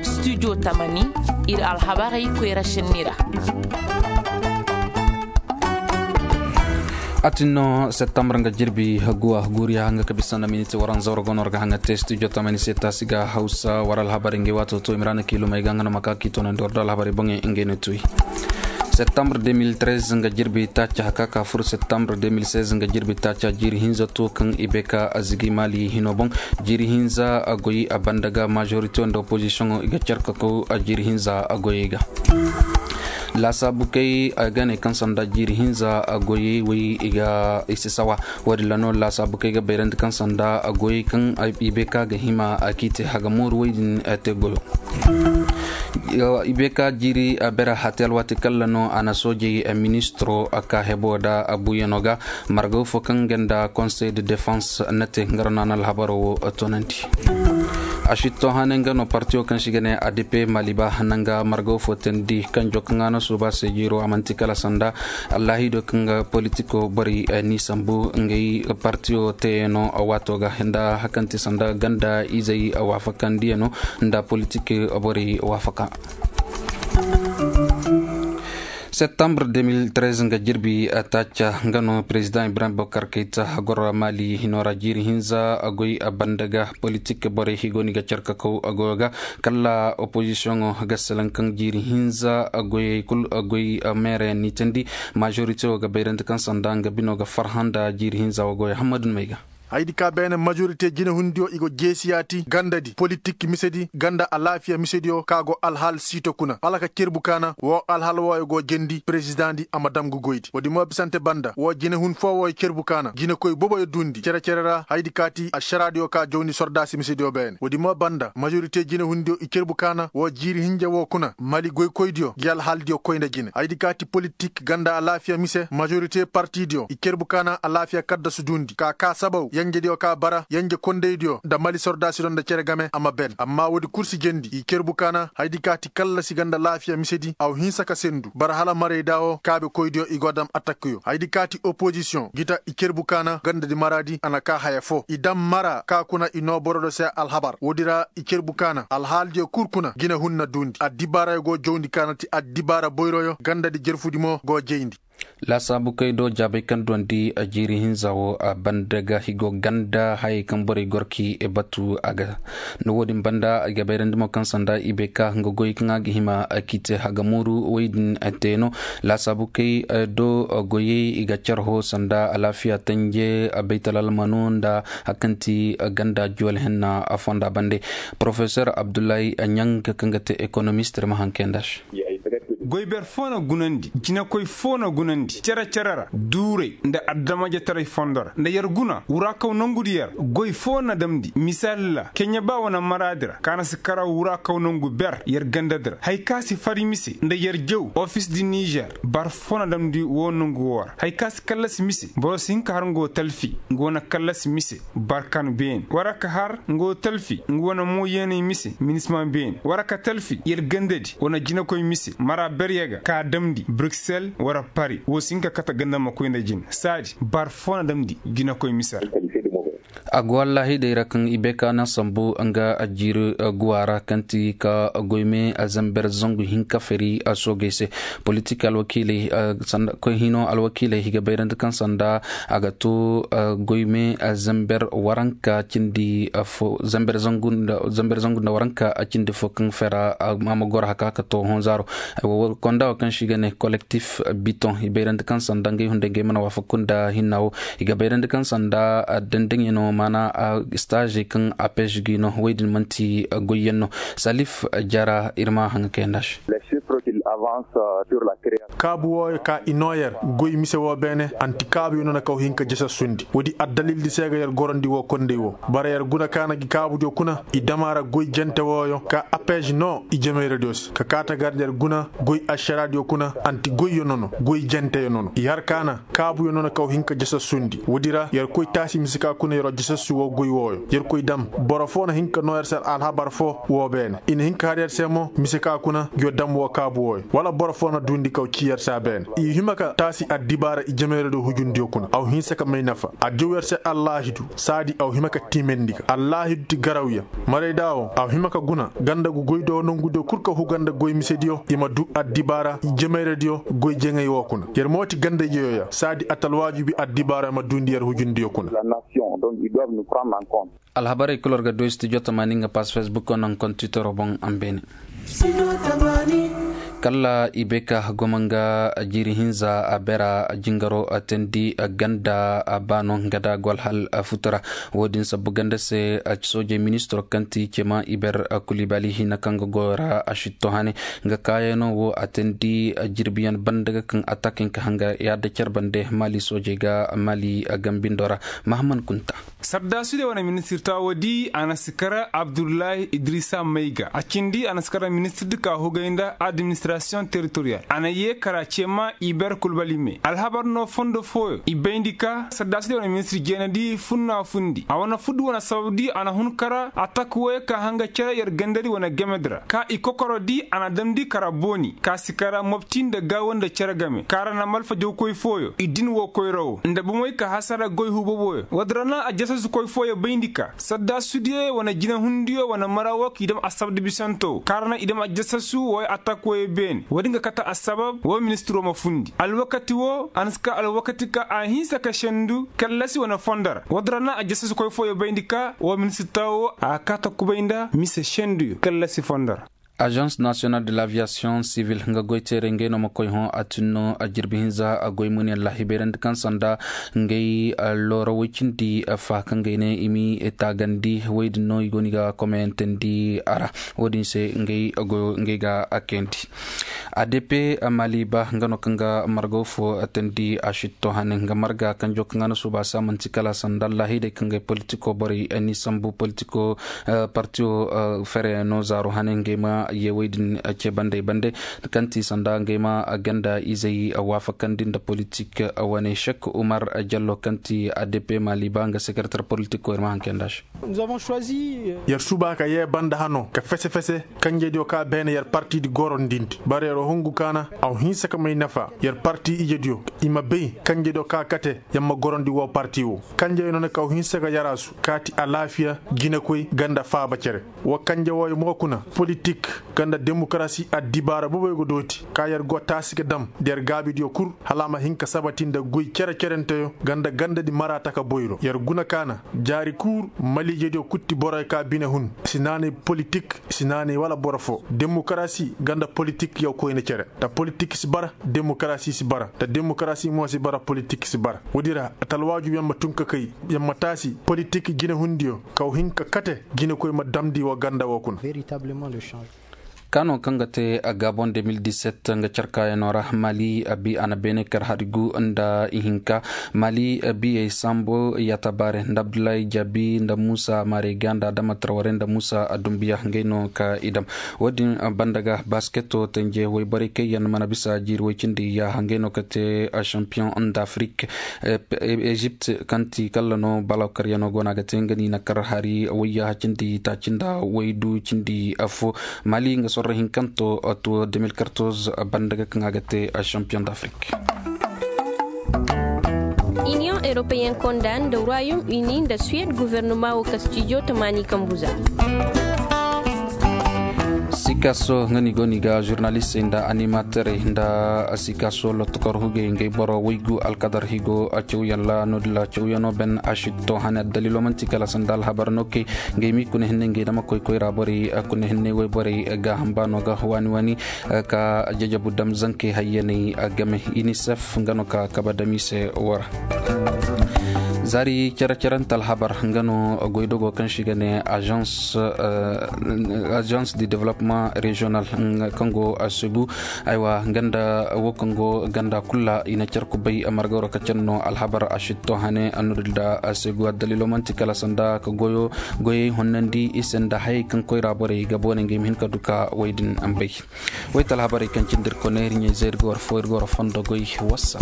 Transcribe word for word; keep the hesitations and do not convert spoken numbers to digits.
Studio tamani, ir alhabarey koyra šenni ra. A tin no septembre nga jirbi guwa guriya nga ka bisa na miniti waranza war gono war ga haŋa te studio tamani se taasi ga hausa war alhabarey ngey waato to imrana kilumey ga nga no maka kiito no nda war do alhabarey boŋey ngey no tuy. Septembre deux mille treize nga jirbi taaca haka ka fur septembre deux mille seize nga jirbi taaca jiiri hinza to kaŋ i bay ka a zigi maali hino boŋ. Jiiri hinza a goy a banda ga majorité nda opposition i ga care ka kaw a jiiri hinza a goyey ga. Laasaabu kay a ga ne kaŋ sanda jiiri hinza a goyey way i ga i si sawa. Wo- din ra no laasaabu kay ga bayrandi kaŋ sanda a goyey kaŋ i bay ka ga hima a k'i te haga mooru way din te goyo. I bay ka jiiri a bere hate alwaati kalla no a na soojey ministiro a ka hebo da a buuyano ga. Margaw fo kaŋ ga nda konsey de defense na te nga ra no a na alhabaro wo toonandi. A sitto hane nga no partiyo kaŋ se i ga ne a d p maliba nanga margaw fo teendi kanjo kaŋ a na suuba se jiiro a man'ti kala sanda. Allahido kaŋ ga politiko borey n'i sambu ngey partiyo teeyano waato ga nda hakanti sanda ganda izey waafakandiyano nda politik borey waafaka. Septembre deux mille treize nga jirbi taaca nga no président ibrahim bokar kayta goro mali hino ra jiiri hinza a goy a banda ga politik borey higo ni ga care ka kaw a goyo ga. Kala opposition ga salaŋ kaŋ jiiri hinza a goyey kul a goy meereyaŋ ni teendi. Majorité wo ga bayrandi kaŋ sanda nga bino ga farhã nda jiiri hinza wo goyo hammadu ni may ga. Haydi ka beene majorité jinehundiyo i go jeesi yaati gandadi politik misedi ganda alaafiya misediyo ka go alhaal siito kuna hala ka cerbu kaana woo alhaal wooyo go jendi perezidaŋdi a ma dam ga goydi woodi mo bisante banda woo jinehun foo wooyo cerbu kaana jinekoy boboyo duundi cere-cere ra haydi kaati ašaraadiyo ka jawndi sordaasi misediyo beene woodi mo banda majorité jinehundiyo i cerbu kaana woo jiiri hinja woo kuna mali goykoydiyo ngi alhaaldiyo koy nda jine haydi kaati politik ganda alaafiya mise majorité partidiyo i cerbu kaana alaafiya kaddasu duundi ka kaa sabaw yenjediyo ka bara yenje kondaydiyo nda mali sordaasidiyo nda cere game a ma ben amma woodi kul si jendi i cerbu kaana haydi kaati kallasi ganda alaafiya misedi aw hinsa ka sendu bara hala marayda wo kaabekoydiyo i go dam atakkiyo haydi kaati opozisiyoŋ gita i cerbu kaana gandadi maraadi a na kaa haya foo i dam mara kaa kuna i noo borodiyo se alhabar woodi ra i cerbu kaana alhaaldiyo kul kuna jinehun na duundi addibaarayo go jawndi kaana ti addibaara boyroyo gandadi jerfudi mo go jayndi. Laasaabu kay do jaabay kaŋ duwandi a jiiri hinza wo a banda ga higo ganda hayey kaŋ borey gorki batu a ga. Nda wo-din banda i ga bayrandi mo kaŋ sanda i bay ka nga goy kaŋ a ga hima a k'i te haga mooru woy din te no. Laasaabu kay do goyey i ga care ho sanda alaafiya tanje baytal almano nda hakanti ganda juwal henna a fonda bande. Porofesor abdullahi ɲang kaŋ ga te ekonomist ir ma haŋ kay nda se. Goy ber foo na gunandi jinekoy foo na gunandi cere-cere ra duuray nda adamajetaray fondo ra nda yer guna wuraakaw nongudi yer goy foo na damndi misaali ra keɲe ba wane maraadi ra ka na si karaw wuraakaw nongu ber yer gandadi ra haya ka si fari mise nda yer jaw ofis di nizer bar foo na damndi woo nongu woo ra haya ka si kallasi mise boro si hin ka har nga woo talfi nga wane kallasi mise barkan beeni wara ka har nga woo talfi nga wane mooyeeney mise minisma beeni wara ka talfi yer gandadi wane jinekoy mise mara berye ga ka damndi bruksel wara pari woo si hin ka kate ganda ma koy nda jine saadi bar foo na damndi jinekoy mise ra. A go wallaahi day ra kaŋ i bay ka na sambu nga jiiri guwa ra kaŋ ti ka goyme zamber zangu hinka fari soogey se politik alwakiiley koy hino alwakiiley i ga bayrandi kaŋ sanda a ga to goyme zamber waranka cindi fo zamber zangu nda waranka cindi fo kaŋ fera a ma goro haka ka to honzaaro. Konda wo kaŋ se i ga ne kolektif biton i bayrandi kaŋ sanda ngey hunday ngey mana waafaku nda hinna wo i ga bayrandi kaŋ sanda dandaŋyaŋo maana staazey kaŋ apez gi no woy din manti goyyaŋ no. Salif jara ir ma haŋ kayanda se. Kaabu wooyo ka i noo yer goy mise woo beene anti kaabuyo no na kaw hin ka jasassundi woodi addalildi se ga yer gorandi woo konday woo bara yer guna ka na gi kaabudiyo kuna i dam a ra goy jente wooyo ka apez noo i jemayradiyo se ka kaata gar yer guna goy ašaraadiyo kuna anti goyyo nono goy jenteyo nono i har ka na kaabuyo no na kaw hin ka jasassundi woodi ra yer koy taasi mise ka kuna yeroo jasassu woo goy wooyo yer koy dam boro foo na hin ka noo yer se alhabar foo woo beene i na hin ka har yer se mo mise ka kuna ngiyo dam woo ka Abu wooyo wala boro foo na duundi kaw ci yer se a beene i hima ka taasi addibaara i jemeeradiyo hujundiyo kuna aw hinsa ka may nafa a jaw yer se allaahidu saadi aw hima ka tiimendi ka allaahidu ti garawya. Marayda woo aw hima ka guna ganda gu goydiyo nongudiyo kul ka huga nda goy misediyo i ma duu addibaara i jemeeradiyo goy jeŋay woo kuna yer mo ti ganda jeyoya saadi atalwaajubi addibaara ma duundi yer hujundiyo kuna. Alhabarey kul war ga du studio tamaani nga pass facebook naŋ kontitoro boŋ a ma beene. Kala i bay ka goma nga jiiri hinza a beera jingaro teendi ganda baano nga da go alhal futu ra. Wo-din sabbu ganda se soojey ministiro kaŋ ti cema iber kulibali hina kaŋ ga goyo ra a sitto hane nga kaayaŋo wo a teendi jirbiyaŋ banda ga kaŋ atak hinka hanga yaada care bande mali soojey ga mali gambindo ra. Mahaman kunta. Sardaasudiyo wane ministir taawo di a na si kara abdullahi idrisa mayga a cindi a na si kara ministir di ka hugay nda administrasiyoŋ teritoriyal a na yee kara ceema iber kulbali me alhabar no fondo fooyo i bayndi ka sardaasudiyo wane ministir jeena di funna fundi a wane fuddu wane sabab di a na hun kara atak wooyo ka hanga cere yer gandadi wane gamedi ra ka i kokoro di a na damndi kara booni ka si kara mobti nda gaawo nda cere game ka ra na malfa jawkoy fooyo i din woo koyra woo nda bomey ka hasara goy huuboboyo woodi ra na aljasasukoy fooyo bayndi ka sadda sudiyo wane jinehundiyo wane mara woo k'i dam asabda bisanto ka ra na i dam aljasasuwooyo atakkoyo beene woodi nga kate assabab woo ministiroo ma fundi alwakati woo a na si ka alwakati ka a hinsa ka sendu kallasi wane fondo ra woodi ra na aljasasukoy fooyo bayndi ka woo ministir taawo a kaata kubay nda mise senduyo kallasi fondo ra. Agence national de l'aviation civil nga goy teeray ngey no ma koy hõ a tun no a jirbi hinza a goy muni allah hibayrandi kaŋ sanda ngey looro woy cindi fa kaŋ gay ne i mi taagandi woy din no i go ni ga komayantandi a ra. Wo-din se ngey ga a kayandi. Adp maliba nga no kaŋ ga margaw fo tandi a sitto hane nga marga kanjo kaŋ a na suuba se a manti kala sanda allahidey kaŋ gay politiko borey ni sambu politiko partiyo fere no zaaro hane ngey ma ye woy din ce bandey bande kaŋ ti sanda ngey ma ganda izey waafakandi nda politik wane sek umar jallo kaŋ ti adp maliba nga sekretar politiko ir ma hankay nda se. Yer suba ka yee banda hano ka fese fese kanjediyo ka beene yer partidi gorondindi bara yer hungu kaana aw hinsa ka may nafa yer parti ijediyo i ma bay kanjediyo ka kate yer ma gorondi woo parti woo kanjediyo no na ka aw hinsa ka yaraasu kaati alaafiya jinekoy ganda faaba cere. Woo kanje wooyo mo kuna politik ganda demokarasi addibaara boboyo go dooti ka yer go taasi ga dam nda yer gaabidiyo kul hala a ma hin ka sabati nda goy cere cerenteyo ganda gandadi maraata ka boyro yer guna kaana jaari kuur maliijediyo kutti boroyo ka bine hun si naanay politik si naanay wala boro foo demokarasi ganda politik yaw koyne cere nda politik si bara demokarasi si bara nda demokarasi mo si bara politik si bara woodi ra talwaaju yer ma tun ka kay yer ma taasi politik jinehundiyo kaw hin ka kate jinekoy ma damndi woo ganda woo kuna. Kaano kaŋ ga te gabon deux mille dix-sept nga carkaayanoo ra mali a bi a na beene kar hari gu nda ihinka mali biyey sambo yatabaare nda abdullahi jabi nda muusa maarey ga nda adama tarware nda muusa adumbiya ngey no ka i dam. Wo-din banda ga basketo tenje woyborey kaŋ yaŋ mana bisa jiiri woy cindi yaaha ngey no ka te champion d'afrique. Ezipt kaŋ ti kalla no balaw karyanoo go no a ga te nga ni na kar hari woyyaaha cindi taaci nda woydu cindi affo. Mali nga sorro hinkanto to deux mille quatorze banda ga kaŋ a ga te champion d'afrique. Union européen konda nda royaume uni nda suwed gouvernement wo ka studio tamaani kambu za. Sikaso nga ni go ni ga journalistey nda animaterey nda sikaso lotokor hugey ngey boro waygu alkadar higo a cawyaŋ ra no-din ra cawyano ben a sitto hane addalilo manti kala sanda alhabar no kay ngey mi kuna hinne ngey dama koy koyra borey kuna hinne wayborey ga hamba no ga waani waani ka jajabu dam zankey hayyaney game unicef nga no ka kaba dam i se wara. Zaari cere-cerante alhabar nga no goydogo kaŋ se i ga ne agence de développement régional kaŋ go segu. Aywa ganda wo kaŋ go ganda kulu ra i na care kubay margaro ka care no alhabar a sitto hane a no-din ra segu addalilo manti kala sanda ka goyo goyey honnandi i se nda hayey kaŋ koyra borey ga boone ngey ma hin ka du ka wey din ambay. Woy talhabarey kaŋ cindi ir kone ir ɲey zay ir ga war fo ir ga war fondo goy. Wassa.